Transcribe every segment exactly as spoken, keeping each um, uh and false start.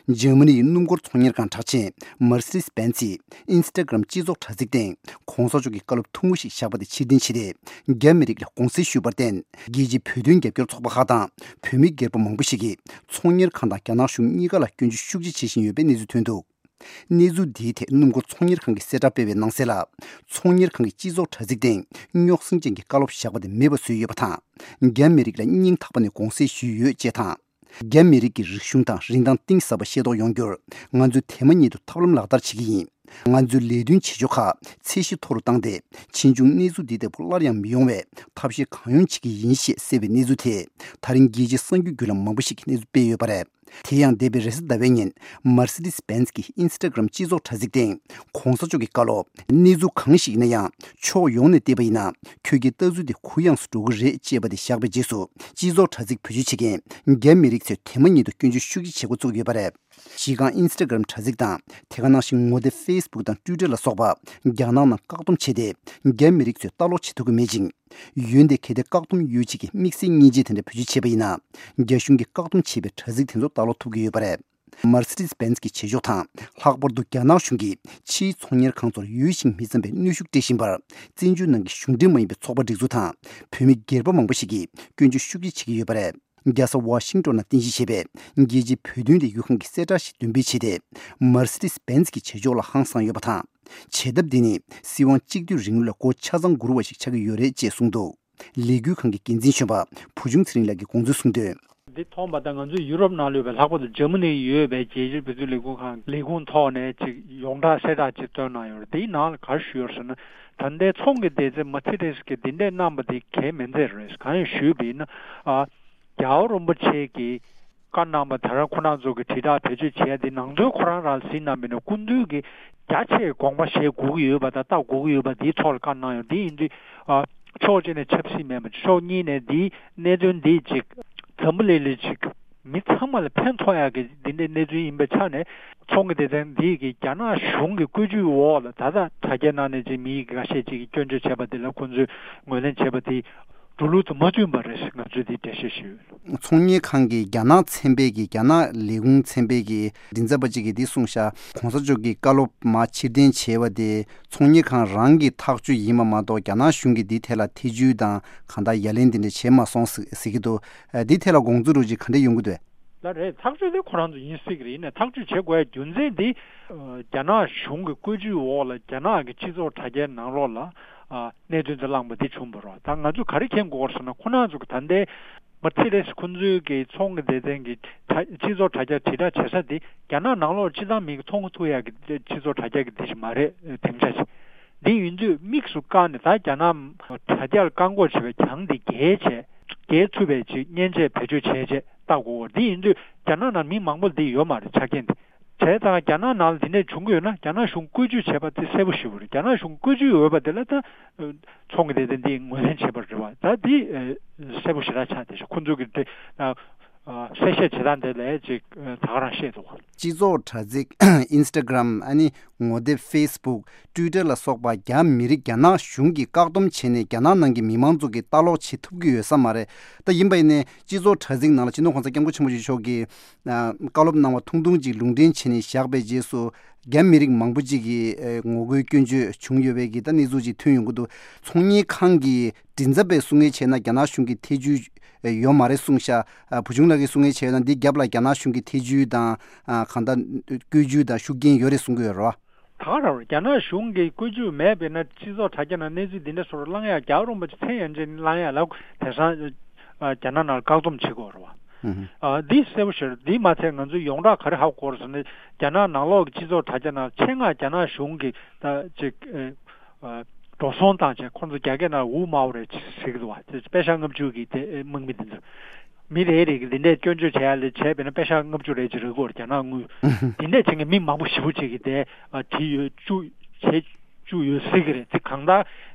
འཇར་མ་ནི་ཡི་སྣུམ་འཁོར་ཚོང་གཉེར་ཁང་གྲགས་ཅན་Mercedes Benz ཡིས་Instagram་སྤྱི་ཚོགས་དྲ་ཚིགས་སྟེང་གོང་ས་མཆོག་གི་བཀའ་སློབ་ཐུང་ངུ་ཞིག་བཞག་པ་དེ་ཕྱིར་འཐེན་བྱས་ཏེ། རྒྱ་མི་རིགས་ལ་དགོངས་སེལ་ཞུས་པར་བརྟེན། རྒྱལ་སྤྱིའི་བོད་དོན་རྒྱབ་སྐྱོར་ཚོགས་པ་ཁག་དང་བོད་མི་སྒེར་པ་མང་པོ་ཞིག་གིས་ཚོང་གཉེར་ཁང་དང་རྒྱ་ནག་གཞུང་གཉིས་ཀ་ལ་སྐྱོན་བརྗོད་ཤུགས་ཆེ་བྱེད་བཞིན་ཡོད་པའི་གནས་ཚུལ་ཐོན་འདུག་གནས་ཚུལ་འདིའི་ཐད་སྣུམ་འཁོར་ཚོང་གཉེར་ཁང་གིས་གསལ་བསྒྲགས་སྤེལ་བའི་ནང་གསལ་ལ། ཚོང་གཉེར་ཁང་གིས་སྤྱི་ཚོགས་དྲ་ཚིགས་སྟེང་རྙོག་ཟིང་ཅན་གྱི་བཀའ་སློབ་བཞག་པ་དེ་མེད་པ་བཟོས་ཡོད་པ་དང་། རྒྱ་མི་རིགས་ལ་སྙིང་ཐག་པ་ནས་དགོངས་སེལ་ཞུས་ཡོད་ཅེས་དང་། རྒྱ་མི་རིགས་ཀྱི་རིག་གཞུང་དང་རིན་ཐང་གཏིང་ཟབ་པ་ཤེས་རྟོགས་ཡོང་རྒྱུར། ང་ཚོས་དེ་མ་ཉིད་དུ་ཐབས་ལམ་ལག་བསྟར་བྱེད་ཀྱི་ཡིན། ང་ཚོའི་ལས་དོན་བྱེད་ཕྱོགས་ཁག་ཚད་གཞི་མཐོ་རུ་བཏང་སྟེ། ཕྱིས་འབྱུང་གནས་ཚུལ་འདི་ལྟ་བུ་སླར་ཡང་མི་ཡོང་བའི་ཐབས་ཤེས་གང་ཡོང་བྱེད་ཀྱི་ཡིན་ཞེས་གསལ་བའི་གནས་ཚུལ་དེས། ད་རིང་རྒྱལ་སྤྱིའི་གསར་འགྱུར་བརྒྱུད་ལམ་མང་པོ་ཞིག་གིས་གནས་ཚུལ་སྤེལ་ཡོད་པ་རེད། དེ་ཡང་། འདས་པའི་རེས་གཟའ་ཟླ་བའི་ཉིན། Mercedes Benz གི་Instagram སྤྱི་ཚོགས་དྲ་ཚིགས་སྟེང་། གོང་ས་མཆོག་གི་བཀའ་སློབ། གནས་ཚུལ་གང་ཞིག་ཡིན་ན་ཡང་། ཕྱོགས་ཡོངས་ནས་བལྟས་པ་ཡིན་ན། ཁྱོད་ཀྱི་ལྟ་ཚུལ་དེ་གུ་ཡངས་སུ་འགྲོ་གི་རེད། ཅེས་པ་དེ་བཞག་པའི་རྗེས་སུ། སྤྱི་ཚོགས་དྲ་ཚིགས་བེད་སྤྱོད་བྱེད་མཁན་རྒྱ་མི་རིགས་ཚོས་དེ་མ་ཉིད་དུ་སྐྱོན་བརྗོད་ཤུགས་ཆེ་བྱེད་འགོ་བཙུགས་ཡོད་པ་རེད། གཞི་རྐང་Instagram དྲ་ཚིགས་དང་། དེ་ག་ནང་བཞིན་ངོ་དེབ་Facebook དང་Twitter ལ་སོགས་པ་རྒྱ་ནག་ནང་བཀག་སྡོམ་བྱས་ཏེ། རྒྱ་མི་རིགས་ཚོས་ལྟ་ཀློག་བྱེད་ཐུབ་ཀྱི་མེད་ཅིང་། འོན་ཏེ་གལ་ཏེ་བཀག་སྡོམ་ཡོད་ཅིག་གི་དམིགས་བསལ་མཉེན་ཆས་དེ་འདྲ་བེད་སྤྱོད་བྱས་པ་ཡིན་ན། རྒྱ་གཞུང་གིས་བཀག་སྡོམ་བྱས་པའི་དྲ་ཚིགས་དེ་ཚོ་ལྟ་ཀློག་ཐུབ་ཀྱི་ཡོད་པ་རེད། Mercedes Benz གི་བྱེད་ཕྱོགས་དང་། ལྷག་པར་དུ་རྒྱ་ནག་གཞུང་གིས་ཕྱིའི་ཚོང་གཉེར་ཁང་ཚོར་ཡོད་ཞིང་མི་འཚམ་པའི་གནོན་ཤུགས་སྤྲད་བཞིན་པར། བཙན་བྱོལ་ནང་གི་གཞུང་འབྲེལ་མ་ཡིན་པའི་ཚོགས་པ་སྒྲིག་འཛུགས་དང་། བོད་མི་སྒེར་པ་མང་པོ་ཞིག་གིས་སྐྱོན་བརྗོད་ཤུགས་ཆེ་བྱེད་ཀྱི་ཡོད་པ་རེད། རྒྱལ་ས་ཝ་ཤིང་ཏོན་ནང་རྟེན་གཞི་བྱས་པའི་རྒྱལ་སྤྱིའི་བོད་དོན་ལས་འགུལ་ཁང་གིས་གསལ་བསྒྲགས་ཤིག་འདོན་སྤེལ་བྱས་ཏེ། Mercedes Benz གི་བྱེད་ཕྱོགས་ལ་ཧང་སངས་ཡོད་པ་དང་། བྱེད་ཐབས་འདི་ནི་སྲིད་དབང་གཅིག་སྡུད་རིང་ལུགས་ལ་མགོ་ཆ་ཚང་སྒུར་བ་ཞིག་ཆགས་ཀྱི་ཡོད་རེད་ཅེས་གསུངས་འདུག་ལས་འགུལ་ཁང་གི་འགན་འཛིན་གཞོན་པ་བུ་ཆུང་ཚེ་རིང་ལགས་ཀྱིས་དགོངས་ཚུལ་གསུངས་དོན། འདི་མཐོང་པ་དང་ང་ཚོ་ཡུ་རོབ་ནང་ལ་ཡོད་པའི་ལྷག་པར་དུ་འཇར་མ་ནི་ཡོད་པའི་རྒྱལ་སྤྱིའི་བོད་དོན་ལས་འགུལ་ཁང་ལས་ཁུངས་ཐོག་ནས་ཅིག་ཡོངས་གྲགས་གསལ་བསྒྲགས་ཅིག་བཏོན་གནང་ཡོད་རེད། དེའི་ནང་ལ་ག་རེ་ཞུས་ཡོད་ཟེར་ན། ད་ལྟའི་ཚོང་གི་སྡེ་ཚན་མ་ཚི་རེས་ཀྱིས་འདི་འདྲས་གནང་པ་དེ་གལ་མི་འཚལ་རེད། གང་ཡིན་ཞུས་པ་ཡིན་ན། ཨ། རྒྱལ་བ་རིན་པོ་ཆེ་གིས་བཀའ་གནང་པ་ད་རང་ཁོ་རང་ཚོ་གི་དྲིལ་བསྒྲགས་བེད་སྤྱོད་བྱས་ཏེ་ནང་དོན་ཁོ་རང་རང་ལ་གཟིགས་གནང་མིན་ན་སྐུ་མདུན་གྱིས་རྒྱ་ཆེའི་དགོངས་པ་བཞེས་དགོས་ཀྱི་ཡོད་པ་དང་ལྟ་དགོས་ཀྱི་ཡོད་པ་དེའི་ཐོག་ལ་བཀའ་གནང་ཡོད། དེ་ཡིན་དུས། ཨ། ཕྱོགས་གཅིག་ནས་ཆབ་སྲིད་མེད་པ་ཕྱོགས་གཉིས་ནས་འདིའི་གནད་དོན་འདིས་ཅིག་འཛམ་བུ་གླིང་ལ་ཅིག་མི་ཚང་མ་ལ་ཕན་ཐོགས་ཡག་གི་འདི་འདྲའི་གནད་དོན་ཡིན་པའི་ཆ་ནས་ཚོང་གི་སྡེ་ཚན་འདིས་ཀྱི་རྒྱ་ནག་གཞུང་གི་བཀོད་ཇུས་འོག་ལ་ད་ལྟ་དྲ་རྒྱའི་ནང་ནས་ཅིག་མི་ཁ་ཤས་ཅིག་གིས་སྐྱོན་བརྗོད་བྱས་པ་འདི་ལ་ཁོང་ཚོས་ངོས་ལེན་བྱས་པ་དེ་འགྲོ་ལུགས་དང་མ་མཐུན་པ་རེད། ང་ཚོས་འདི་འགྲེལ་བཤད་ཞུས་ཡོད། ཚོང་གཉེར་ཁང་གི་རྒྱ་ནག་ཚན་པའི་གི་རྒྱ་ནག་ལས་ཁུངས་ཚན་པའི་གི་མགྲིན་ཚབ་པ་གཅིག་གིས་འདི་གསུངས་ཤག་གོང་ས་མཆོག་གི་བཀའ་སློབ་མར་ཕྱིར་འཐེན་བྱས་པ་དེ་ཚོང་གཉེར་ཁང་རང་གི་ཐག་གཅོད་ཡིན་པ་མ་གཏོགས་རྒྱ་ནག་གཞུང་གིས་འདི་ཐད་ལ་ཐེ་བྱུས་དང་གང་ལྟར་ཡ་ལན་འདི་འདྲ་བྱས་མ་སོང་ཟེར་གྱི་འདུག་འདི་ཐད་ལ་དགོངས་ཚུལ་རོགས་ཅིག་ག་འདྲ་ཡོང་གི་འདུག་ལ་རེད། ཐག་གཅོད་དེ་ཁོ་རང་ཚོ་ཡིན་སྲིད་ཀྱི་རེད། ཡིན་ནའི་ཐག་གཅོད་བྱེད་དགོས་ཡ་རྒྱུ་མཚན་འདི། རྒྱ་ནག་གཞུང་གི་བཀོད་ཇུས་འོག་ལ་རྒྱ་ནག་གི་སྤྱི་ཚོགས་དྲ་རྒྱའི་ནང་ལོགས་ལ་གནད་དོན་དེ་བསླངས་པ་འདི་བྱུང་བ་རེད། ད་ང་ཚོས་ག་རེ་མཁྱེན་དགོས་ཟེར་ན་ཁོ་རང་ཚོ་གི་ད་ལྟའི་མ་ཚི་རེས་ཁོ་ཚོའི་གི་ཚོང་གི་སྡེ་ཚན་གྱི་དྲ་སྤྱི་ཚོགས་དྲ་རྒྱ་དྲིལ་བསྒྲགས་བྱེད་ས་འདི་རྒྱ་ནག་ནང་ལོགས་སྤྱི་བཏང་མི་གི་མཐོང་གི་ཐུབ་ཡ་གི་སྤྱི་ཚོགས་དྲ་རྒྱ་གི་འདི་ཞིག་མ་རེད། དེང་ཆ་ཞིག་འདི་ཡིན་དུས་དམིགས་སུ་བཀར་ནས་ད་རྒྱ་ནག་དྲ་རྒྱར་བཀག་འགོག་བྱེད་པའི་གྱང་འདི་རྒྱས་བྱས་རྒྱས་ཐུབ་པའི་ཅིག་མཉེན་ཆས་བེད་སྤྱོད་བྱས་བྱས་བལྟ་དགོས། འདི་ཡིན་དུས་རྒྱ་ནག་ནང་མི་མང་པོ་འདི་ཡོད་མ་རེད་ཆ་རྐྱེན་འདི། བྱས་ཙང་རྒྱ་ནག་ནང་ལ་འདི་འདྲས་བྱུང་གི་ཡོད་ན་རྒྱ་ནག་གཞུང་བཀོད་ཇུས་བྱས་པ་དེ་གསལ་པོ་ཞེ་པོ་རེད། རྒྱ་ནག་གཞུང་བཀོད་ཇུས་འོས་པ་དེ་ལ་ད་ཚོང་གི་སྡེ་ཚན་འདིས་ངོས་ལེན་བྱས་པ་རེད་བ། ད་འདི་གསལ་པོ་ཞེ་དྲག་ཆགས་བསྡད་ཤག་ཁོ་ཚོ་གི་དེ་གསལ་བཤད་བྱེད་སྟངས་དེ་ལས་ཅིག་ད་ག་རང་བཤད་འདུག་བ། སྤྱི་ཚོགས་དྲ་ཚིགས་Instagram ཨ་ནི་ངོ་དེབ་Facebook Twitter ལ་སོགས་པ་རྒྱ་མི་རིགས་རྒྱ་ནག་གཞུང་གིས་བཀག་སྡོམ་བྱས་ནས་རྒྱ་ནག་ནང་གི་མི་མང་ཚོ་གིས་ལྟ་ཀློག་བྱེད་ཐུབ་ཀྱི་ཡོད་ས་མ་རེད། ད་ཡིན་པ་ཡིན་ནའི་སྤྱི་ཚོགས་དྲ་ཚིགས་ནང་ལ་སྤྱི་ནོར་གོང་ས་སྐྱབས་མགོན་ཆེན་པོ་མཆོག་གིས་བཀའ་སློབ་གནང་བ་ཐུང་ཐུང་ཅིག་ལུང་འདྲེན་བྱས་ནས་བཞག་པའི་རྗེས་སུ་རྒྱ་མི་རིགས་མང་པོ་ཅིག་གིས་ངོ་རྒོལ་སྐྱོན་བརྗོད་བྱུང་ཡོད་པའི་གི་ད་གནས་ཚུལ་ཅིག་ཐོན་ཡོང་གི་འདུག་ཚོང་གཉེར་ཁང་གི་མགྲིན་ཚབ་པས་གསུང་མཁན་བྱས་ན་རྒྱ་ནག་གཞུང་གིས་ཐེ་བྱུས་ཡོད་མ་རེད་གསུངས་ཤག་བུ་ཆུང་ལགས་ཀྱིས་གསུང་མཁན་བྱས་ན་འདི་རྒྱབ་ལ་རྒྱ་ནག་གཞུང་གིས་ཐེ་བྱུས་དང་གང་ལྟར་བཀོད་ཇུས་དང་ཤུགས་རྐྱེན་ཡོད་རེད་གསུང་གི་ཡོད་རེད་བ། ད་ག་རང་རེད། རྒྱ་ནག་གཞུང་གིས་བཀོད་ཇུས་མེད་པས་ན་སྤྱི་ཚོགས་དྲ་རྒྱ་ནང་གནས་ཚུལ་འདི་འདྲ་སོགས་བླང་ཡ་རྒྱལ་བ་རིན་པོ་ཆེ་མཚན་ཡན་ཆད་བླང་ཡ་ལ་དེང་སང་རྒྱ་ནག་ནང་བཀག་སྡོམ་བྱེད་དགོས་རེད་བ། འདི་གསལ་པོ་ཞིག་རེད། འདི་མ་ཚད་ང་ཚོས་ཡོངས་གྲགས་ག་རེ་ཧ་གོ་རེད་ཟེར་ན་རྒྱ་ནག་ནང་ལོགས་ཀྱི་སྤྱི་ཚོགས་དྲ་རྒྱ་ནང་ཆེད་མངགས་རྒྱ་ནག་གཞུང་གིས་ད་ཅིག་འགྲོ་སོང་བཏང་བྱས་ཁོང་ཚོ་རྒྱ་སྐད་ནང་ཝུ་མའོ་རེད་ཟེར་གྱི་འདུག་བ། དེ་པེ་ཤ་ལྔ་བཅུ་གི་དེ་དམག་མི་དེ་ཚོ་མི་རེ་རེ་གི་འདི་འདྲའི་སྐྱོན་བརྗོད་བྱས་ཡ་ལས་བྱས་པས་ན་པེ་ཤ་ལྔ་བཅུ་རེ་ཅིག་རེད་གོ། རྒྱ་ནག་དངུལ་འདི་འདྲས་བྱས་ངས་མི་མང་པོ་ཞེ་པོ་ཅིག་གིས་དེ་བྲིས་ཡོད་བཅུག་བྱས་བཅུག་ཡོད་ཟེར་གི་རེད། དེ་གང་ལྟར་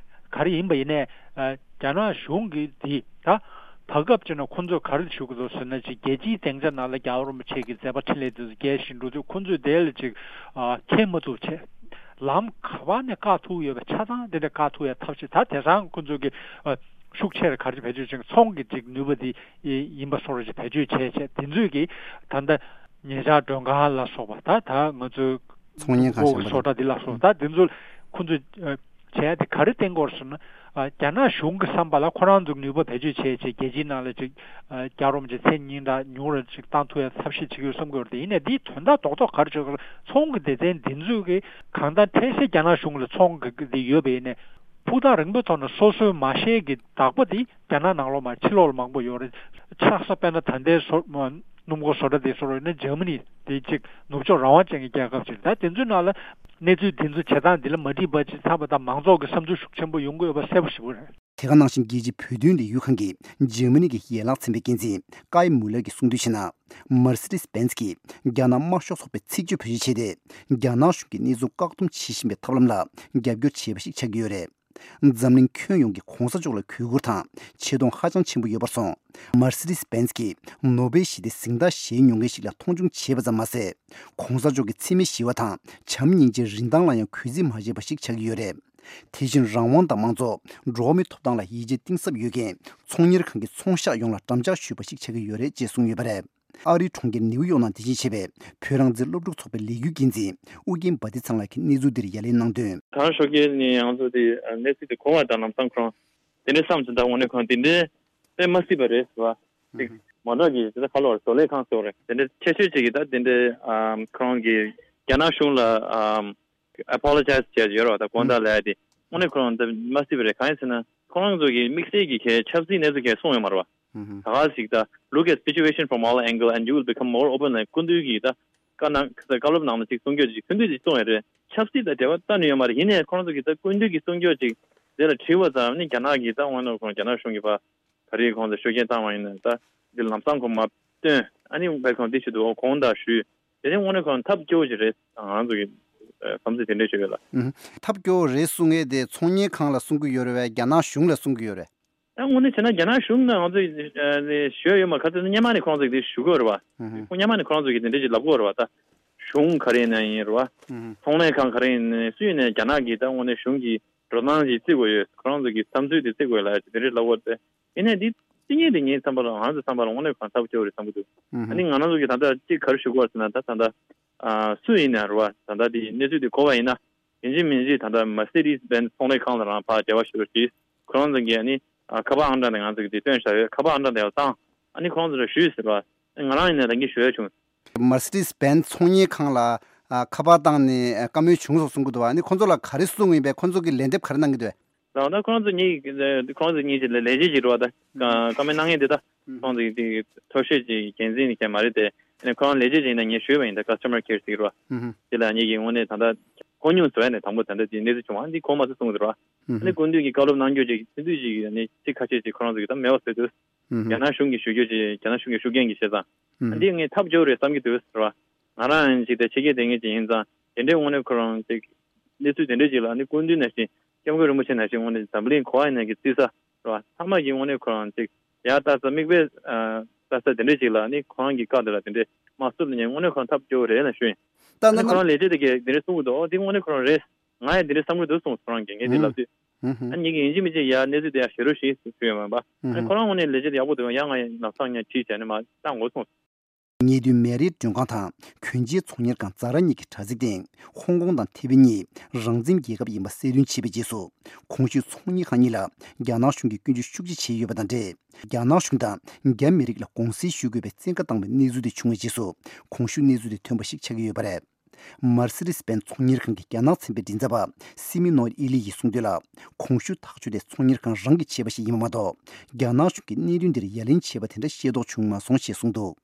ག་རེ་ཡིན་པ་ཡིན་ནའི་རྒྱ་ནག་གཞུང་གིས་འདི་ད་བར་སྐབས་ཅིག་ན་ཁོང་ཚོས་ག་རེ་ཞུ་གི་འདུག་ཟེར་ན་ཅིག་རྒྱལ་སྤྱིའི་སྡིངས་ཆ་ནང་ལ་རྒྱལ་བ་རིན་པོ་ཆེ་གི་མཛད་པ་འཕྲིན་ལས་དེ་ཚོ་རྒྱས་བཞིན་འགྲོ་དུས་ཁོང་ཚོས་དེ་ལ་ཅིག་མཁྱེན་མ་ཐུབ་བྱས། ལམ་ག་པར་ནས་བཀག་ཐུབ་ཡོད་པའི་ཆ་ཚང་དེ་འདྲ་བཀག་ཐུབ་ཡ་ཐབས་ཤེས་ད་དེང་སང་ཁོང་ཚོས་ཀྱི་ཤུགས་ཆེར་ག་རེ་བེད་སྤྱོད་བྱེད་ཚོང་གི་ཅིག་ནུས་པ་དེ་ཡིན་པ་སོགས་རེ་ཅིག་བེད་སྤྱོད་བྱས་བྱས་དེ་ཚོས་ཀྱི་ད་ལྟ་ ཉེ་ཆར་མགྲོན་ཁང་ལ་སོགས་པ། ད་ད་ང་ཚོའི་ཚོང་གཉེར་ཁང་གཞན་པ་བཟོ་གྲྭ་འདི་ལ་སོགས། ད་འདི་ཚོ་ཁོ་ཚོས་བྱས་ཏེ་ག་རེ་བསྟན་གྱི་ཡོད་ཟེར་ན། རྒྱ་ནག་གཞུང་གི་བསམ་པ་ལ་ཁོ་རང་ཚོའི་ནུས་པ་བེད་སྤྱོད་བྱས་བྱས་རྒྱལ་སྤྱིའི་ནང་ལ་ཅིག་རྒྱལ་རོམ་གྱི་མཚན་སྙན་གྲགས་ཉུང་རུ་ཅིག་བཏང་ཐུབ་ཡ་ཐབས་ཤེས་བྱེད་ཀྱི་ཡོད་བསམ་གྱི་ཡོད་རེད། ཡིན་ནའི་འདིའི་དོན་དག་རྡོག་རྡོག་ག་རེ་བྱེད་དགོས། ཚོང་གི་སྡེ་ཚན་འདི་ཚོས་གི་གང་ལྟར་འཕྲལ་སེལ་རྒྱ་ནག་གཞུང་ལ་ཚོང་གི་འདི་ཡོད་པ་ཡིན་ནའི། ཕུགས་ཐག་རིང་པོའི་ཐོག་ནས་སོ་སོའི་མ་ཤེས་ཀྱི་བདག་པོ་དེ་རྒྱ་ནག་ནང་ལོགས་མ་ཕྱི་ལོགས་ལ་མང་པོ་ཡོད་རེད། ཆགས་ས་དཔེར་ན་ད་ལྟའི་སོ་སྣུམ་འཁོར་བཟོ་གྲྭ་དེ་བཟོ་རོགས་ཡིན་ན་འཇར་མ་ནི་དེ་གཅིག་ནུབ་ཕྱོགས་རང་དབང་ཅན་གྱི་རྒྱལ་ཁབ་ཅིག་རེད། ད་དེ་ཚོའི་ནང་ལ་གནས་ཚུལ་དེ་ཚོ་བྱེད་སྟངས་འདི་ལ་མ་འགྲིག་པ་ཅིག་ཚང་མ་དང་མང་ཚོགས་ཀྱི་བསམ་ཚུལ་ཤུགས་ཆེན་པོ་ཡོང་གི་ཡོད་པ་གསལ་པོ་ཞེ་པོ་རེད། དེ་ག་ནང་བཞིན་རྒྱལ་སྤྱིའི་བོད་དོན་ལས་འགུལ་ཁང་གི་འཇར་མ་ནི་གི་ཡན་ལག་ཚན་པའི་འགན་འཛིན་ཀའི་མུ་ལར་གྱིས་གསུངས་དོན་བྱས་ན། མར་སི་ཌིས་བྷེན་ཛི་གིས་རྒྱ་ནག་དམར་ཤོག་ཚོགས་པའི་ཚིག་བརྗོད་བེད་སྤྱོད་བྱས་ཏེ། རྒྱ་ནག་གཞུང་གིས་གནས་ཚུལ་བཀག་སྡོམ་བྱེད་བཞིན་པའི་ཐབས་ལམ་ལ་རྒྱབ་སྐྱོར་བྱས་པ་ཞིག་ཆགས་ཀྱི་ཡོད་རེད། འཛམ་གླིང་ཁྱོན་ཡོངས་ཀྱིས་གོང་ས་མཆོག་ལ་གུས་བཀུར་དང་ཆེ་མཐོང་ཧ་ཅང་ཆེན་པོ་ཡོད་པར་སོང་། མར་སི་ཌིས་བྷེན་ཛི་གིས་ནོ་སྦེལ་ཞི་བདེའི་གཟེངས་རྟགས་བཞེས་མྱོང་མཁན་ཞིག་ལ་མཐོང་ཆུང་བྱས་པ་ཙམ་མ་ཟད། གོང་ས་མཆོག་གི་འཚེ་མེད་ཞི་བ་དང་བྱམས་སྙིང་རྗེའི་རིན་ཐང་ལ་ཡང་གུས་བརྩི་མ་བྱས་པ་ཞིག་ཆགས་ཀྱི་ཡོད་རེད། དེ་བཞིན་རང་དབང་དང་མང་གཙོ། འགྲོ་བ་མིའི་ཐོབ་ཐང་ལ་ཡིད་ཆེས་གཏིང་ཟབ་ཡོད་མཁན་ཚོང་གཉེར་ཁང་གི་ཚོང་ཤག་ཡོངས་ལ་འགྲམ་ལྕག་གཞུས་པ་ཞིག་ཆགས་ཀྱི་ཡོད་རེད་ཅེས་གསུངས་ཡོད་པ་རེད། ཨ་རིའི་གྲོང་ཁྱེར་ནིའུ་ཡོག་ནང་རྟེན་གཞི་བྱས་པའི་བོད་རང་བཙན་སློབ་ཕྲུག་ཚོགས་པའི་ལས་འགུལ་འགན་འཛིན་ཨུ་རྒྱན་བྷ་ཏི་ཚང་ལགས་ཀྱིས་གནས་ཚུལ་འདིར་ཡ་ལན་གནང་དོན། ད་རང་ཤོག་གི་ནི་ང་ཚོ་དེ་གནས་ཚུལ་དེ་གོ་བ་དང་ལམ་སང་ཁོ་རང་དེ་འདྲའི་བསམ་ཚུལ་དང་དངོས་གནས་ཁོང་དེ་འདྲའི་དཔེ་མ་སྲིད་པ་རེད་ཟེར་བ། ཅིག་མ་འདྲ་གི་དེ་ད་ག་ལོར་བཟོ་ལས་ཁང་སོགས་རེད། དེ་འདྲའི་ཆེ་ཤོས་ཅིག་གི་ད་དེ་འདྲའི་ཁོ་རང་གི་རྒྱ་ནག་གཞུང་ལ་apologize་བྱས་ཡོད་རེད་བ། ད་དགོངས་དག་ལབ་ཡ་དེ་དངོས་གནས་ཁོ་རང་ད་མ་སྲིད་པ་རེད། གང་ཡིན་ཟེར་ན་ཁོ་རང་ཚོ་གི་དམིགས་བསལ་གྱི་གལ་ཆབ་སྲིད་གནས་ཚུལ་གལ་གསུངས་ཡོད་མ་རེད་བ། ད་ག་ཞིག་ད་look at situation from all angle and you will become more open ལབ་སྐུ་མདུན་གྱིས་ད་བཀའ་གནང་བཀའ་སློབ་ནང་ལ་ཅིག་གསུང་རྒྱུ་ཅིག་ཐུང་ཐུང་ཅིག་གསུངས་ཡོད་རེད། ཆབ་སྲིད་དང་འབྲེལ་བ་གཏན་ནས་ཡོད་མ་རེད། ཡིན་ནའི་ཁོ་རང་ཚོ་གིས་ད་སྐུ་མདུན་གྱིས་གསུང་རྒྱུ་ཅིག་དེ་ལ་དྲི་བ་ཙམ་ནི་རྒྱ་ནག་གིས་ད་དངོས་གནས་ཁོང་རྒྱ་ནག་གཞུང་གིས་ཕར་ད་རེས་ཁོང་ཚོ་ཤུགས་རྐྱེན་བཏང་བ་ཡིན་ན་ད་འདི་ལམ་སང་ཁོང་མ་སྟོན། ཨ་ནི་བས་ཁོང་འདི་ཞུ་འདུག་ཁོང་དང་ཞུས། དེ་ནས་དངོས་གནས་ཁོང་ཐབས་སྐྱོ་བོ་ཅིག་རེད། ང་ཚོ་གི་བསམ་ཚུལ་དེ་འདྲ་ཞུ་ཡོད་ལ། ཨུ་ཧུ། ཐབས་སྐྱོ་བོ་རེད་གསུང་མཁན་དེ་ཚོང་གཉེར་ཁང་ལ་གསུང་གི་ཡོད་རེད་བས། རྒྱ་ནག་གཞུང་ལ་གསུང་གི་ཡོད་རེད། ད་དངོས་གནས་བྱས་ན་རྒྱ་ནག་གཞུང་ནས་ང་ཚོ་ཞུ་ཡ་ཡོད་མ་རེད། ག་ཚོད་སྔོན་མ་ནས་ཁོང་ཚོས་དེ་ཞུ་གི་ཡོད་རེད་བ། ཨུ་ཧུ། ཁོང་སྔོན་མ་ནས་ཁོང་ཚོས་དེ་འདྲ་ཅིག་ལབ་ཀྱི་ཡོད་རེད་བ། ད་གཞུང་ག་རེ་ཡིན་ན་ཡིན་རེད་བ། ཨུ་ཧུ། ཚོང་ལས་ཁང་ག་རེ་ཡིན་ནའི་སུ་ཡིན་ནའི་རྒྱ་ནག་གི་ད་དངོས་གནས་གཞུང་གི་འགྲོ་སྟངས་ཅིག་བརྩི་དགོས་ཡོད། ཁོ་རང་ཚོ་གི་བསམ་ཚུལ་དེ་བརྩི་དགོས་ལ་དེ་འདྲ་ལབ་ཡོད་རེད། ཡིན་ནའི་འདི་བརྩི་མཁན་དེ་ངའི་བསམ་པ་ལ་ང་ཚོའི་བསམ་པ་ལ་དངོས་གནས་ཁོ་རང་ཐབས་སྐྱོ་བོ་རེད་བསམ་གྱི་འདུག་ཨུ་ཧུ། ཨ་ནི་ང་རང་ཚོ་གི་ད་ལྟ་ཅིག་ག་རེ་ཞུ་དགོས་རེད་ཟེར་ན་ད་ད་ལྟ་ཨ་སུ་ཡིན་ནའི་རེད་བ། ད་ལྟ་དེ་གནས་ཚུལ་དེ་གོ་བ་ཡིན་ན་ཡིན་གཅིག་མིན་གཅིག་ད་ལྟ་Mercedes Benz་ཚོང་ལས་ཁང་ལ་རང་ཕར་འབྲེལ་བ་ཞུ་རོགས་གྱིས། ཁོ་རང་ཚོ་གིས་ཨ་ནི་ཨ་ཁ་པར་ཨང་གྲངས་དེ་ང་ཚོ་གིས་དེ་སྟོན་བཞག་ཡོད། ཁ་པར་ཨང་གྲངས་དེ་ཡང་བཏང་། ཨ་ནི་ཁོ་རང་ཚོ་ལ་ཞུས་ཟེར་བ། ང་རང་ཡིན་ནའི་ད་གིན་ཞུ་ཡ་བྱུང་། Mercedes Benz་ཚོང་གཉེར་ཁང་ལ་ཨ་ཁ་པར་བཏང་ནས་ཨ་བཀའ་མོལ་བྱུང་སོང་གསུང་གི་འདུག་ཨ་ནི་ཁོང་ཚོ་ལ་ག་རེ་གསུངས་ཡིན་པས། ཁོང་ཚོ་གིས་ལན་འདེབས་ག་རེ་གནང་གི་འདུག་ད་ད་ཁོ་རང་ཚོ་གཉིས་ཁོ་རང་ཚོ་གཉིས་ཀྱི་ལས་བྱེད་ཅིག་རེད་བ། ད་བཀའ་མོལ་གནང་མཁན་དེ་ད་ཁོང་ཚོ་གི་དེ་མཐོ་ཤོས་ཀྱི་འགན་འཛིན་ནི་མཁན་མ་རེད་དེ། ཨ་ནི་ཁོ་རང་ལས་བྱེད་ཅིག་ཡིན་ན་ངས་ཞུས་པ་ཡིན། ད་customer care་ཟེར་གྱི་རེད་བ། དེ་ལ་ངེད་ཀྱིས་དངོས་གནས་ད་ལྟ་གོ་མྱོང་བཟོ་ཡ་ནས་དང་པོ་ད་ལྟ་དེ་གནས་ཚུལ་བྱུང་བ་འདི་གོ་མ་སོང་གསུངས་གི་འདུག་ར། ཨ་ནི་སྐུ་མདུན་གྱིས་བཀའ་སློབ་གནང་རྒྱུ་ཅིག་ཐུང་ཐུང་ཅིག་ཨ་ནི་ཚིག་ཁ་ཤས་ཅིག་ཁོ་རང་ཚོ་གིས་ད་མེད་པ་བཟོས་འདུག་རྒྱ་ནག་གཞུང་གིས་ཞུ་རྒྱུ་ཅིག་རྒྱ་ནག་གཞུང་གི་ཤུགས་རྐྱེན་གྱིས་བྱས་ཙང་། ཨ་འདི་ངས་ཐབས་སྐྱོ་བོ་རེད་བསམ་གྱི་འདུག་ཟེར་བ། ང་རང་ཡང་ཅིག་དེ་ཕྱི་རྒྱལ་སྡོད་མཁན་ཅིག་ཡིན་ཙང་དེ་འདྲའི་དངོས་གནས་ཁོ་རང་ཅིག་གནས་ཚུལ་དེ་འདྲ་ཅིག་ལ་ཨ་ནི་སྐུ་མདུན་ནང་བཞིན་སྐྱབས་མགོན་རིན་པོ་ཆེ་ནང་བཞིན་དངོས་གནས་འཛམ་གླིང་ག་པར་ཡིན་ན་གི་བརྩི་ས་རེད་བ། ཚང་མ་གིས་དངོས་གནས་ཁོ་རང་ཅིག་ཡར་ལྟ་ས་མིག་དཔེ་ལྟ་ས་དེ་འདྲ་ཅིག་ལ་ཨ་ནི་ཁོ་རང་གི་བཀའ་དེ་ལ་དེ་འདྲའི་མ་བསུབ་ན་ངས་དངོས་གནས་ཁོ་རང་ཐབས་སྐྱོ་བོ་རེད་ལབ་ཞུ་ཡིན། ད་ཨ་ནི་ཁོ་རང་ལས་བྱེད་དེ་གས་དེ་འདྲ་གསུང་གི་འདུག་འོ་དེ་དངོས་གནས་ཁོ་རང་རེད། ང་ཡང་དེ་འདྲ་བསམ་གྱི་འདུག་གསུངས་སོང་རང་གིས། ངས་དེ་ལབ་དུས། ཨ་ནི་ངེད་ཀྱིས་ཡིན་གཅིག་མིན་གཅིག་ཡར་གནས་ཚུལ་དེ་ཡར་བཤད་རོགས་ཞེས་ཞུས་ཡོད་མ་རེད་པ། ཨ་ནི་ཁོ་རང་ངོས་ནས་ལས་བྱེད་དེ་ཡག་པོ་འདུག་ཡང་ང་ཡང་ལམ་སང་ཡང་དྲིས་བྱས་ནས་མར་བཏང་དགོས་གསུངས་སོང་། ཉེ་དུས་མེ་རིའི་མགྲོན་ཁང་དང་གྱོན་ཆས་ཚོང་གཉེར་ཁང་ཛ་ར་གཉིས་ཀྱི་དྲ་ཚིགས་སྟེང་ཧོང་ཀོང་དང་ཐེ་ཝན་གཉིས་རང་བཙན་རྒྱལ་ཁབ་ཡིན་པ་གསལ་སྟོན་བྱས་པའི་རྗེས་སུ། གོང་ཞུས་ཚོང་གཉེར་ཁང་གཉིས་ལ་རྒྱ་ནག་གཞུང་གིས་སྐྱོན་བརྗོད་ཤུགས་ཆེ་བྱས་ཡོད་པ་དང་འབྲེལ། རྒྱ་ནག་གཞུང་དང་རྒྱ་མི་རིགས་ལ་དགོངས་སེལ་ཞུ་དགོས་པའི་བཙན་བཀའ་བཏང་བའི་གནས་ཚུལ་དེ་བྱུང་བའི་རྗེས་སུ། གོང་ཞུས་གནས་ཚུལ་དེ་ཐོན་པ་ཞིག་ཆགས་ཀྱི་ཡོད་པ་རེད། མར་སི་ཌིས་བྷེན་ཚོང་གཉེར་ཁང་གི་རྒྱ་ནག་ཚན་པའི་མགྲིན་ཚབ་པ་སི་མི་ནོར་ཨི་ལི་ཡིས་གསུངས་དོན་ལ། གོང་ཞུས་ཐག་གཅོད་དེ་ཚོང་གཉེར་ཁང་རང་གིས་བྱས་པ་ཞིག་ཡིན་པ་མ་གཏོགས། རྒྱ་ནག་གཞུང་གིས་གནད་དོན་འདིར་ཡ་ལན་བྱས་པ་དེ་འདྲ་ཤེས་རྟོགས་བྱུང་མ་སོང་ཞེས་གསུངས་འདུག